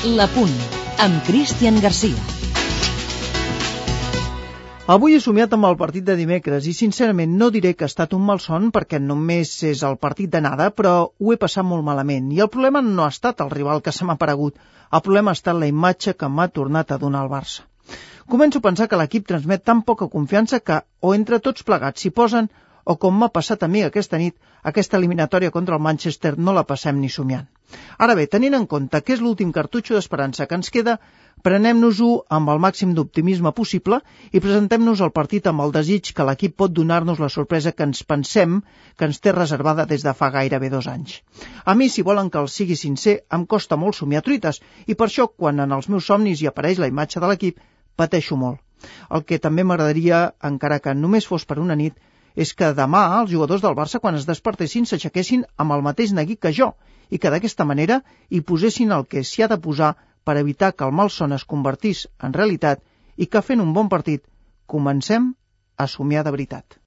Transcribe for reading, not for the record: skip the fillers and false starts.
La Punt, amb Cristian Garcia. Avui he somiat amb el partit de dimecres i sincerament no diré que ha estat un malson perquè només és el partit d'anada, però ho he passat molt malament. I el problema no ha estat el rival que se m'ha aparegut, el problema ha estat la imatge que m'ha tornat a donar el Barça. Començo a pensar que l'equip transmet tan poca confiança que o entre tots plegats s'hi posen o com m'ha passat a mi aquesta nit, aquesta eliminatòria contra el Manchester no la passem ni somiant. Ara bé, tenint en compte que és l'últim cartutxo d'esperança que ens queda, prenem-nos-ho amb el màxim d'optimisme possible i presentem-nos al partit amb el desig que l'equip pot donar-nos la sorpresa que ens pensem que ens té reservada des de fa gairebé 2 anys. A mi, si volen que els sigui sincer, em costa molt somiar truites i per això, quan en els meus somnis hi apareix la imatge de l'equip, pateixo molt. El que també m'agradaria, encara que només fos per una nit, és que demà els jugadors del Barça, quan es despertessin, s'aixequessin amb el mateix neguit que jo i que d'aquesta manera hi posessin el que s'hi ha de posar per evitar que el malson es convertís en realitat i que fent un bon partit comencem a somiar de veritat.